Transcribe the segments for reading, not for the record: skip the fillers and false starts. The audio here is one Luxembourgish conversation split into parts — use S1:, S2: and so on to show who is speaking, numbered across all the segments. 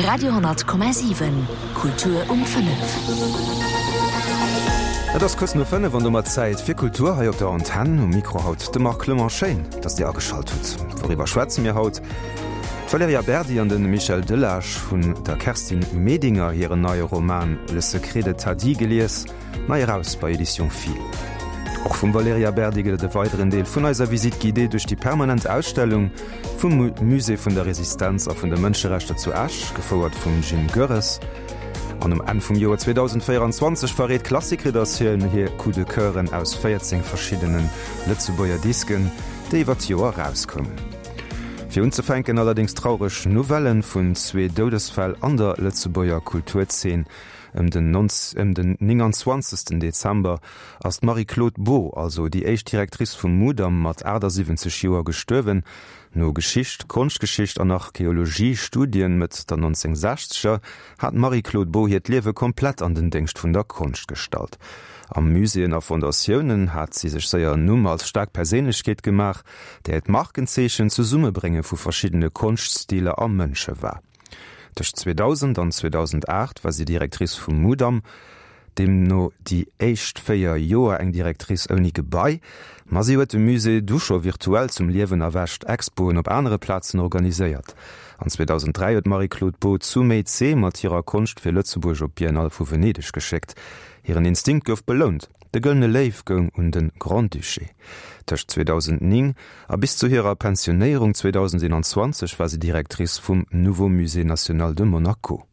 S1: Radio,7 Kultur um 5.
S2: Et ass kuerz no 5 an domat Zäit fir Kultur hei op der Antenn. Um Mikro haut de Marc Clement. Schéin, dass Dir ageschalt hutt. Wouriwwer schwätze mir haut? D'Valerija Berdi an de Michel Delage hunn der Kerstin Medinger hiren neie Roman Le secret de Tadi gelies. Nei eraus bei Editions Fil. Och vum Valerija Berdi gëtt et e weideren Deel vun eiser Visite guidée duerch déi permanent Ausstellung vum Musée vun der Resistenz a vun de Mënscherechter zu Esch, gefouert vum Jim Goerres. An um Enn vum Joer 2024 verréit d'Klassik-Redaktioun hir Coup de Coeuren aus 14 verschiddene Lëtzebuerger Disken, déi iwwer d'Joer erauskoumen. Fir unzefänken allerdéngs traureg Nouvellen vun zwee Doudesfäll an der Lëtzebuerger Kulturzeen. Ëm den ëm den 29. Dezember ass d'Marie-Claude Beaud, also déi éischt Directrice vum Mudam, mat 78 Joer gestuerwen. No Geschicht, Konschtgeschicht an Archeologie-Studien Mëtt der 1960er hat d'Marie-Claude Beaud hiert Liewe komplett an den Déngscht vun der Konscht gestallt. A Muséeën a Fondatiounen hat si sech séier en Numm als staark Perséinlechkeet gemaach, där hiert Markenzeechen d'Zesummebrénge vu verschiddene Konschtstiler a Mënsche war. Tëscht 2000 an 2008 war si Directrice vum Mudam, deemno déi éischt 4 Joer eng Directrice ouni Gebai. Ma si huet de Musée du scho virtuell zum Liewen erwächt, Expoen op anere Plazen organiséiert. An 2003 huet d'Marie-Claude Beaud zu Mézé mat hirer Konscht fir Lëtzebuerg op d'Biennale vu Venedeg geschéckt. Hiren Instinkt gouf belount, de Gëllene Léiw goung un de Grand-Duché. Tëscht 2009 A bis zu hirer Pensionéierung 2021 war si Directrice vum Nouveau Musée National de Monaco.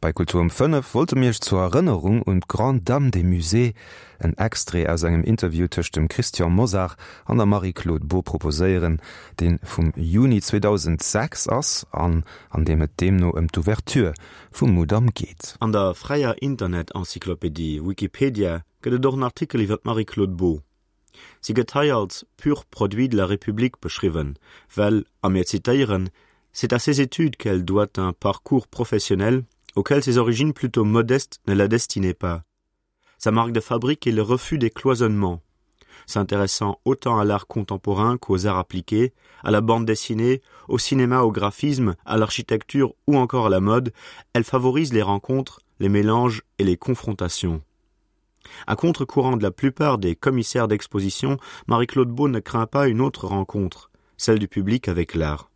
S2: Bei Kultur um 5 wollte mir iech zur Erënnerung un d'Grande Dame des Musées en Extrait aus engem Interview tëscht dem Christian Mosar an der Marie-Claude Beaud proposéieren, dee vum Juni 2006 ass an an deem et deemno ëm d'Ouverture vum Mudam geet.
S3: An der fräier Internet-Encyclopédie Wikipedia gëtt et och en Artikel iwwer d'Marie-Claude Beaud. Si gëtt hei als pur produit de la République beschriwwen, well, a mir zitéieren, C'est à ses études qu'elle doit un parcours professionnel auquel ses origines plutôt modestes ne la destinaient pas. Sa marque de fabrique est le refus des cloisonnements. S'intéressant autant à l'art contemporain qu'aux arts appliqués, à la bande dessinée, au cinéma, au graphisme, à l'architecture ou encore à la mode, elle favorise les rencontres, les mélanges et les confrontations. À contre-courant de la plupart des commissaires d'exposition, Marie-Claude Beaud ne craint pas une autre rencontre, celle du public avec l'art.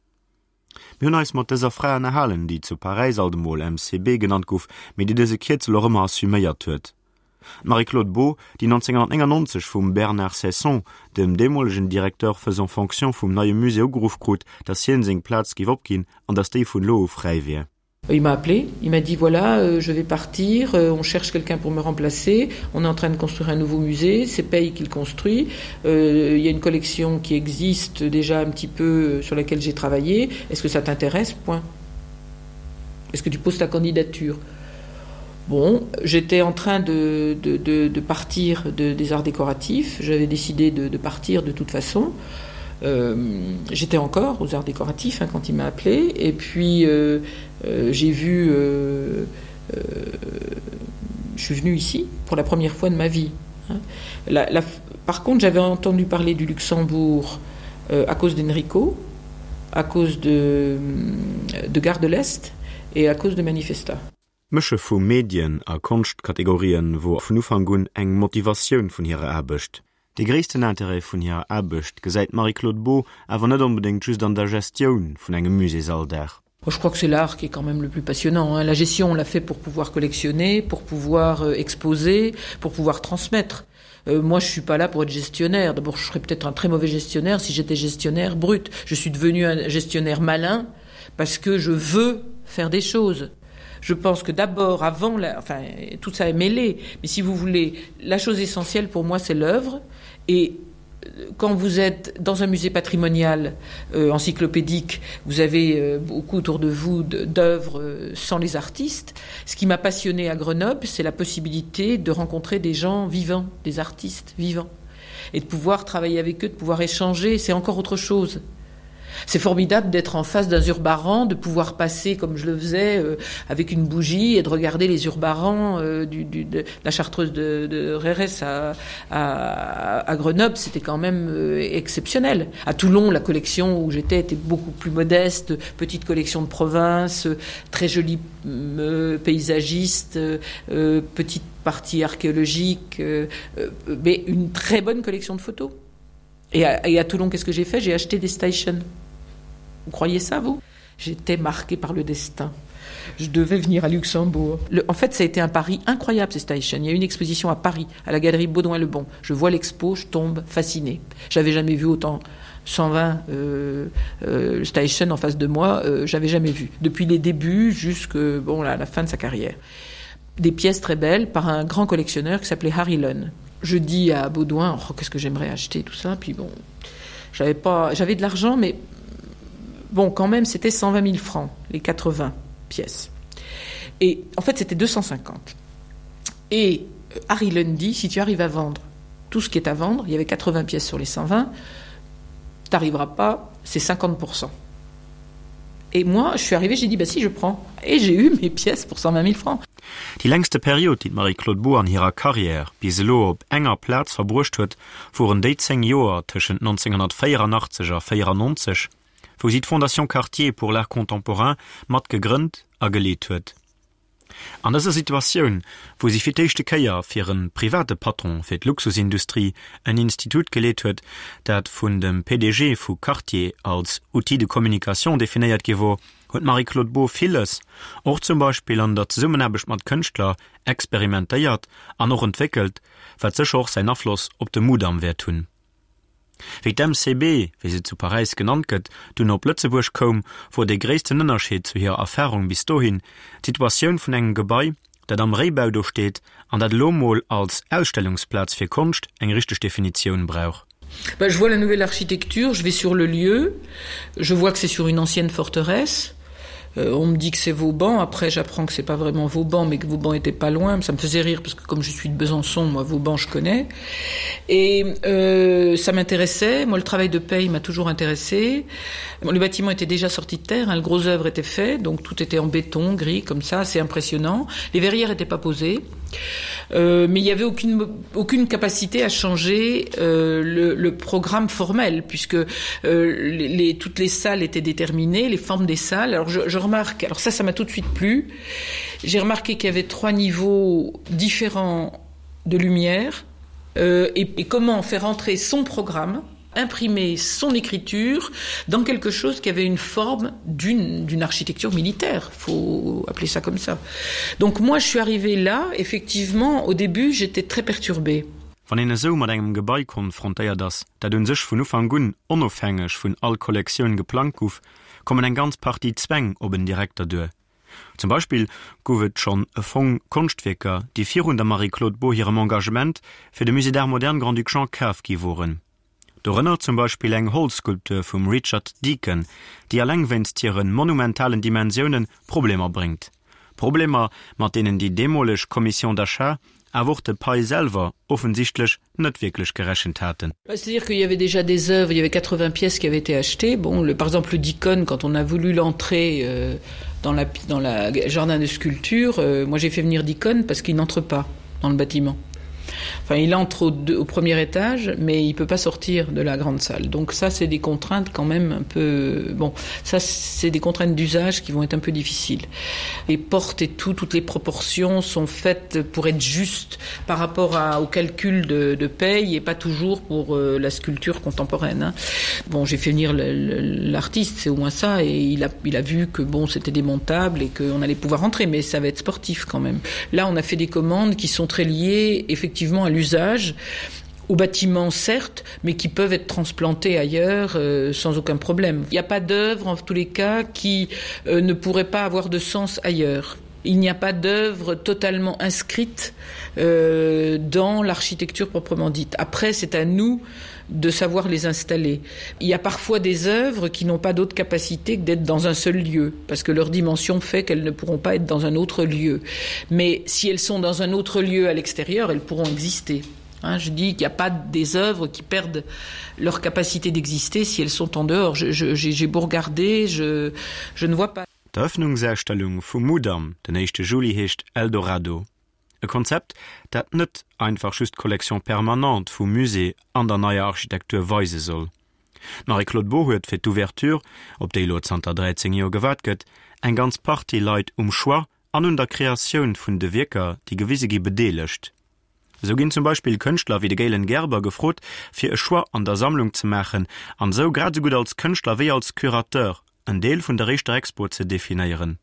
S3: Mir hunn eis mat dëser Fra ënnerhalen, déi zu Paräis alt emol MCB genannt gouf, mee déi dëse Kierzel och ëmmer assuméiert huet. D'Marie-Claude Beaud, déi 1999 vum Bernard Ceysson, dem deemolegen Directeur faisant fonction vum neie Musée, ugeruff krut, datt hien seng Plaz géif opginn an datt déi vun elo u fräi wier.
S4: Il m'a appelé, il m'a dit voilà euh, je vais partir, euh, on cherche quelqu'un pour me remplacer, on est en train de construire un nouveau musée, c'est Paye qu'il construit, euh, il y a une collection qui existe déjà un petit peu euh, sur laquelle j'ai travaillé, est-ce que ça t'intéresse point Est-ce que tu poses ta candidature Bon, j'étais en train de, de, de, de partir de, des arts décoratifs, j'avais décidé de, de partir de toute façon. Euh, j'étais encore aux arts décoratifs hein, quand il m'a appelé et puis euh, euh, j'ai vu euh, euh, je suis venu ici pour la première fois de ma vie hein. la, la, par contre j'avais entendu parler du Luxembourg euh, à cause d'Enrico à cause de, de gare de l'Est et à cause de manifesta.
S3: D'Mësche vu Medien a Konschtkategorien wor vun Ufank un eng Motivatioun vun hirer Aarbecht. De gréissten Interêt vun hirer Aarbecht gesäit d'Marie-Claude Beaud awer net onbedéngt just an der Gestioun vun engem Muséesalldag.
S4: Je crois que c'est l'art qui est quand même le plus passionnant hein. La gestion on l'a fait pour pouvoir collectionner, pour pouvoir euh, exposer, pour pouvoir transmettre. Euh, moi je suis pas là pour être gestionnaire. D'abord je serais peut-être un très mauvais gestionnaire si j'étais gestionnaire brut. Je suis devenu un gestionnaire malin parce que je veux faire des choses. Je pense que d'abord avant la, enfin tout ça est mêlé, mais si vous voulez la chose essentielle pour moi c'est l'œuvre et euh, quand vous êtes dans un musée patrimonial euh, encyclopédique, vous avez euh, beaucoup autour de vous d'œuvres euh, sans les artistes. Ce qui m'a passionné à Grenoble, c'est la possibilité de rencontrer des gens vivants, des artistes vivants et de pouvoir travailler avec eux, de pouvoir échanger, c'est encore autre chose. C'est formidable d'être en face d'un Zurbaran, de pouvoir passer comme je le faisais euh, avec une bougie et de regarder les Zurbarans euh, du, du, de la chartreuse de, de Rérès à, à, à Grenoble, c'était quand même euh, exceptionnel. À Toulon, la collection où j'étais était beaucoup plus modeste, petite collection de province, très jolie euh, paysagiste, euh, petite partie archéologique, euh, euh, mais une très bonne collection de photos. Et à, et à Toulon, qu'est-ce que j'ai fait J'ai acheté des stations. Vous croyez ça, vous J'étais marqué par le destin. Je devais venir à Luxembourg. Le, en fait, ça a été un pari incroyable, ces stations. Il y a une exposition à Paris, à la galerie Baudouin-Lebon. Je vois l'expo, je tombe fasciné. J'avais jamais vu autant 120 euh, euh, stations en face de moi, euh, j'avais jamais vu. Depuis les débuts jusqu'à bon, la, la fin de sa carrière. Des pièces très belles par un grand collectionneur qui s'appelait Harry Lunn. Je dis à Baudouin oh, qu'est-ce que j'aimerais acheter tout ça puis bon j'avais pas j'avais de l'argent mais bon quand même c'était 120 000 francs les 80 pièces et en fait c'était 250 et euh, Harry Lundy si tu arrives à vendre tout ce qui est à vendre il y avait 80 pièces sur les 120 t'arriveras pas c'est 50 et moi je suis arrivé j'ai dit bah si je prends et j'ai eu mes pièces pour 120 000 francs
S3: Déi längste Period, déi d'Marie-Claude Beaud an hirer Karriär bis elo op enger Plaz verbruecht huet, woren déi 10 Joer tëschent 1984 a 94, wou si d'Fondation Cartier pour l'art contemporain mat gegrënnt a geleet huet. An dëser Situatioun, wou si fir d'éischte Kéier fir e private Patron fir d'Luxusindustrie en Institut geleet huet, dat vun dem PDG vu Cartier als Outil de communication definéiert gi wor, huet d'Marie-Claude Beaud villes, och zum Beispill an der Zesummenaarbecht mat Kënschtler, experimentéiert an och entwéckelt, wat sécher och säin Afloss op de Mudam wäert hunn. Wéi d'MCB, wéi se zu Paräis genannt gëtt, dunn op Lëtzebuerg koum, wor dee gréissten Ënnerscheed zu hirer Erfarung bis dohin d'Situatioun vun engem Gebai, dat am Réibau do steet an dat elo mol als Ausstellungsplaz fir Konscht eng richteg Definitioun brauch.
S4: Ben, je vois la nouvelle architecture, je vais sur le lieu, je vois que c'est sur une ancienne forteresse. Euh, on me dit que c'est Vauban, après j'apprends que c'est pas vraiment Vauban, mais que Vauban était pas loin, ça me faisait rire parce que comme je suis de Besançon, moi Vauban je connais. Et euh, ça m'intéressait, moi le travail de paye m'a toujours intéressé. Bon, le bâtiment était déjà sorti de terre, hein, le gros œuvre était fait, donc tout était en béton gris comme ça, c'est impressionnant. Les verrières n'étaient pas posées. Euh, mais il n'y avait aucune, aucune capacité à changer euh, le, le programme formel puisque euh, les, les, toutes les salles étaient déterminées, les formes des salles. Alors je, je remarque, alors ça, ça m'a tout de suite plu. J'ai remarqué qu'il y avait trois niveaux différents de lumière euh, et, et comment faire entrer son programme, imprimer son écriture dans quelque chose qui avait une forme d'une architecture militaire, faut appeler ça comme ça. Donc moi je suis arrivé là, effectivement, au début j'étais très perturbée.
S3: Wann een esou mat engem Gebai konfrontéiert ass, dat un sech vun Ufank un onofhängeg vun all Kollektioun geplangt guff, kommen eng ganz Partie Zwäng op en Direkter duer. Zum Beispill gouf et schonn e Fong Konschtwierker, déi virun der Marie-Claude Beaud hirem Engagement fir de Musée d'Art Moderne Grand-Duc Jean kaf gi woren. Dorënner zum Beispill eng Holzskulptur vum Richard Deacon, déi alleng wéinst hire monumentalen Dimensioune Problemer bréngt. Problemer, mat deenen déi deemoleg Commission d'achat, awer och de Pei selwer offensichtlech net wierklech gerechent haten.
S4: C'est-à-dire qu'il y avait déjà des œuvres, il y avait 80 pièces qui avaient été achetées. Bon, le, par exemple, le Deacon, quand on a voulu l'entrer euh, dans la, dans la jardin de sculpture, euh, moi j'ai fait venir Deacon parce qu'il n'entre pas dans le bâtiment. Enfin, il entre au, au premier étage, mais il peut pas sortir de la grande salle. Donc ça, c'est des contraintes quand même un peu bon, ça c'est des contraintes d'usage qui vont être un peu difficiles. Les portes et tout, toutes les proportions sont faites pour être justes par rapport à, au calcul de, de paye et pas toujours pour euh, la sculpture contemporaine. Hein. Bon, j'ai fait venir l'artiste, c'est au moins ça et il a, il a vu que bon, c'était démontable et qu'on allait pouvoir entrer, mais ça va être sportif quand même. Là, on a fait des commandes qui sont très liées effectivement à l'usage aux bâtiments certes, mais qui peuvent être transplantés ailleurs euh, sans aucun problème. Il n'y a pas d'œuvre en tous les cas qui euh, ne pourrait pas avoir de sens ailleurs. Il n'y a pas d'œuvre totalement inscrite euh, dans l'architecture proprement dite. Après, c'est à nous de savoir les installer. Il y a parfois des œuvres qui n'ont pas d'autre capacité que d'être dans un seul lieu, parce que leur dimension fait qu'elles ne pourront pas être dans un autre lieu. Mais si elles sont dans un autre lieu à l'extérieur, elles pourront exister. Hein, je dis qu'il n'y a pas des œuvres qui perdent leur capacité d'exister si elles sont en dehors. J'ai beau regarder, je, je ne vois pas.
S3: D'Eröffnungsausstellung vum Mudam den éischte Juli heescht Eldorado. E Konzept, dat net einfach just d'Collection permanente vum Musée an der neier Architektur weise soll. D'Marie-Claude Beaud huet fir d'Ouverture, op déi elo zanter 13 Joer gewaart gëtt, eng ganz Partie Leit um Choix an un der Kreatioun vun de Wierker, déi gewise gi, bedeelegt. Esou ginn zum Beispill Kënschtler wéi de Galen Gerber gefrot, fir e Choix an der Sammlung ze maachen an esou grad esou gutt als Kënschtler wéi als Curateur en Deel vun der éischter Expo ze definéieren.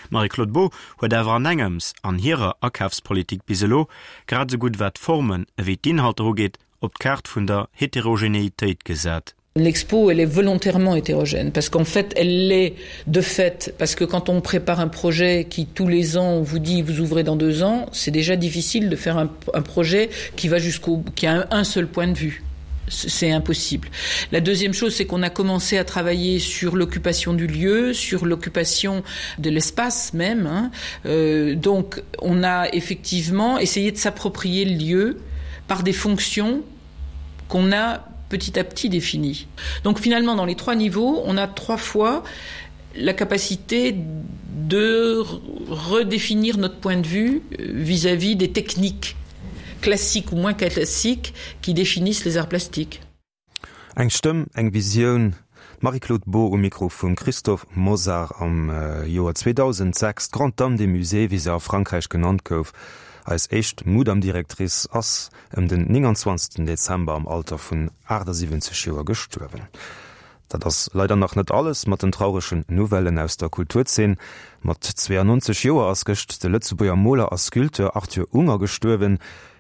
S3: D'Marie-Claude Beaud huet awer an engems an hirer Akafspolitik bis elo, grad esou gutt wat d'Formen ewéi d'Inhalter ugeet, op d'Kaart vun der Heterogenéitéit gesat.
S4: L'expo elle est volontairement hétérogène parce qu'en fait elle l'est de fait parce que quand on prépare un projet qui tous les ans on vous dit vous ouvrez dans deux ans c'est déjà difficile de faire un, un projet qui va jusqu'au qui a un, un seul point de vue c'est impossible. La deuxième chose c'est qu'on a commencé à travailler sur l'occupation du lieu, sur l'occupation de l'espace même hein. Euh, donc on a effectivement essayé de s'approprier le lieu par des fonctions qu'on a petit à petit définies. Donc finalement dans les trois niveaux, on a trois fois la capacité de redéfinir notre point de vue euh, vis-à-vis -vis des techniques classiques ou moins classiques qui définissent les arts plastiques.
S2: Eng Stëmm, eng Visioun, D'Marie-Claude Beaud um Mikro vum Christophe Mosar am Joer 2006. D'Grande Dame des Musées, wéi se a Frankräich genannt gouf, eis éischt Mudam-Directrice, ass ëm den 29 Dezember am Alter vun 78 Joer gestuerwen. Dat ass leider nach net alles mat den trauregen Nouvellen aus der Kulturzeen. Mat 92 Joer ass gëscht de Lëtzebuerger Moler a Sculpteur Arthur Unger gestuerwen.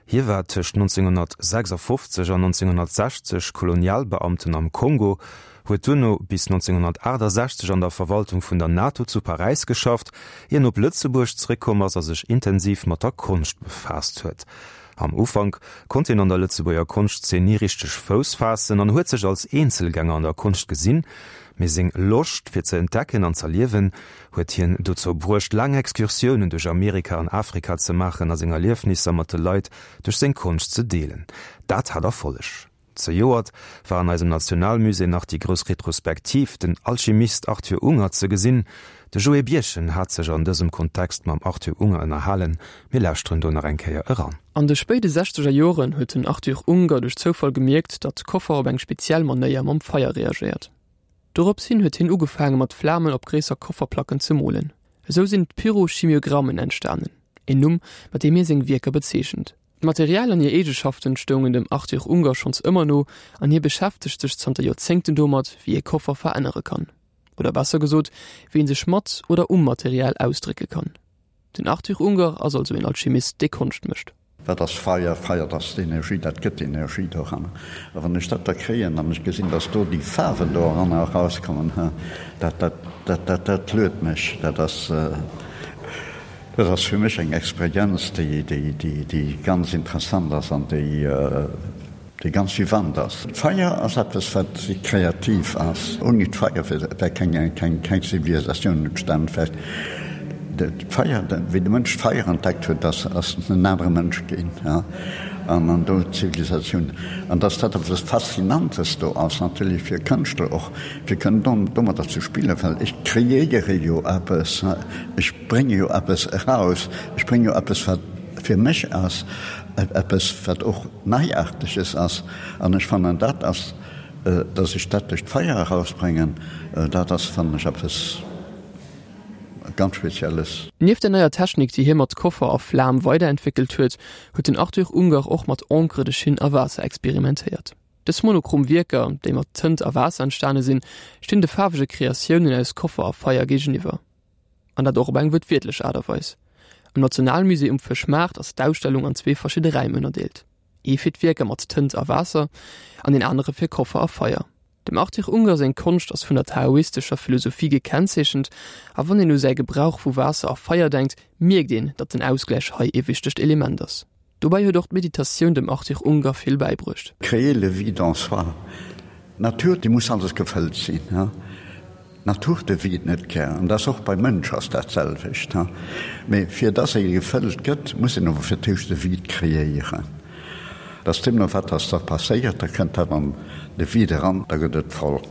S2: Hie war tëscht 1956 an 1960 Kolonialbeamten am Kongo, huet duerno bis 1968 an der Verwaltung vun der NATO zu Paräis geschafft, ier en op Lëtzebuerg zeréckkomm ass a sech intensiv mat der Konscht befaasst huet. Am Ufank konnt hien an der Lëtzebuerger Konschtzeen ni richteg Fouss faassen an huet sech als Eenzelgänger an der Konscht gesinn, mee seng Loscht fir ze entdecken an z'erliewen huet hien dozou bruecht laang Excursiounen duerch Amerika an Afrika ze maachen a seng Erliefnisser mat de Leit duerch seng Konscht ze deelen. Dat hat Erfolleg. Zejoert war an eisem Nationalmusée nach déi grouss Retrospektiv Den Alchimist Arthur Unger ze gesinn. De Joé Birchen hat sech an dësem Kontext mam Arthur Unger ënnerhalen. Mir lauschteren do nach eng Kéier eran.
S5: An de spéide sechzeger Joren huet den Arthur Unger duerch Zoufall gemierkt, datt Koffer op eng speziell Manéier mam Feier reagéiert. Dorops hin huet hien ugefaange mat Flamen op gréisser Kofferplacken ze molen. Esou sinn d'Pyrochimiogrammen entstanen, een Numm, mat deem hie seng Wierker bezeechent. D'Material an hir Eegeschaften stoungen dem Arthur Unger schonns ëmmer no an hie beschäftegt sech zanter Joerzéngten domat, wéi ee Koffer verännere kann. Oder besser gesot, wéi ee sech mat oder um Material ausdrécke kann. Den Arthur Unger ass also een Alchemist, dee Konscht mécht.
S6: Wat ass Feier? Feier, dat ass d'Energie, dat gëtt Energie doranner. A wann ech dat da kréien an ech gesinn, dass do déi Faarwen do eranner erauskommen, dat, dat, dat, dat, dat luet mech. Dat ass. Dat ass fir mech eng Experienz, déi ganz interessant ass an déi ganz vivant ass. D'Feier ass eppes, wat kreativ ass. Ouni d'Feier wär keng Zivilisatioun entstan. D'Feier, wéi de Mënsch d'Feier entdeckt huet, ass en anere Mënsch ginn. An do d'Zivilisatioun. An dass dat eppes Faszinantes do ass, natierlech fir Kënschtler och, fir kënnen domadder ze spillen, well ech kreéiere jo eppes. Ech brénge jo eppes eraus, ech brénge jo eppes, wat fir mech ass, eppes, wat och Neiaarteges ass. An ech fannen, dat ass, datt ech dat duerch d'Feier erausbréngen, dat ass, fannen ech, eppes ganz Spezielles.
S5: Nieft der neier Technik, déi hie mat Koffer a Flam weiderentwéckelt huet, huet den Arthur Unger och mat Encre de Chine a Waasser experimentéiert. Dës monochrom Wierker, déi mat Tënt a Waasser entstane sinn, stinn de faarwege Kreatiounen aus Koffer a Feier géigeniwwer. An dat och op eng wuertwiertlech Aart a Weis. Am Nationalmusée um Fëschmaart ass d'Ausstellung an zwee verschidde Räim ënnerdeelt, ee fir d'Wierker mat Tënt a Waasser an deen anere fir Koffer a Feier. Dem Arthur Unger seng Konscht ass vun der taoistescher Philosophie gekennzeechent a wann een u säi Gebrauch vu Waasser a Feier denkt, mierkt een, datt den Ausgläich hei ee wichtegt Element ass. Dobäi huet och d'Meditatioun dem Arthur Unger vill bäibruecht.
S6: Créer le vide en soi. D'Natur, déi muss alles gefëllt sinn. D'Natur de vide net gär, an dat ass och beim Mënsch ass dat selwecht. Mee fir dass e gefëllt gëtt, muss een awer fir d'éischt e Vide kreéieren. Dass deemno wat ass da passéiert, da kënnt dat an de Vide eran, da gëtt et voll.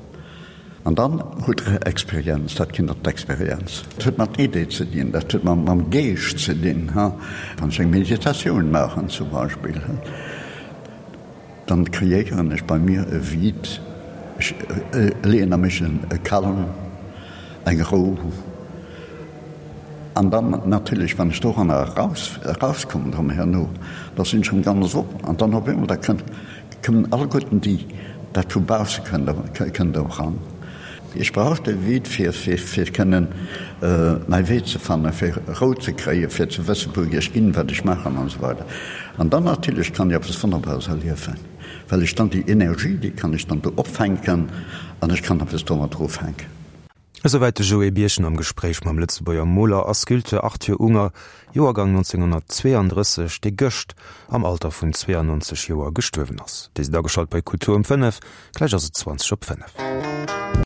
S6: An dann hutt Der Experienz, dat kënnt op d'Experienz. Dat huet mat Idee ze dinn, dat huet mam Geescht ze dinn. Wann ech eng Meditatioun maachen zum Beispill, dann kreéieren ech bei mir e Vide, ech leeën a mech e Calme, eng Rou. An dann natierlech, wann ech doranner eraus, erauskommen erëm herno, da sinn ech erëm ganz op. An dann op eemol, da kënnt, kommen alleguerten déi, dat vu bausse kënnt, kënnt eran. Ech brauch de Vide, fir, fir, fir kënnen mäi Wee ze fannen, fir Rou ze kréien, fir ze wëssen, wou ech ginn, wat ech maachen an esou weider. An dann natierlech kann ech eppes Wonnerbares erliewen, well ech dann déi Energie, déi kann ech dann do opfänken an ech kann eppes domadder ufänken.
S2: Esouwäit de Joé Birchen am Gespréich mam Lëtzebuerger Moler a Sculpteur Arthur Unger, Joergang 1932, dee gëscht am Alter vun 92 Joer gestuerwen ass. Dir sidd ageschalt bei Kultur um 5, gläich ass et 20 op 5.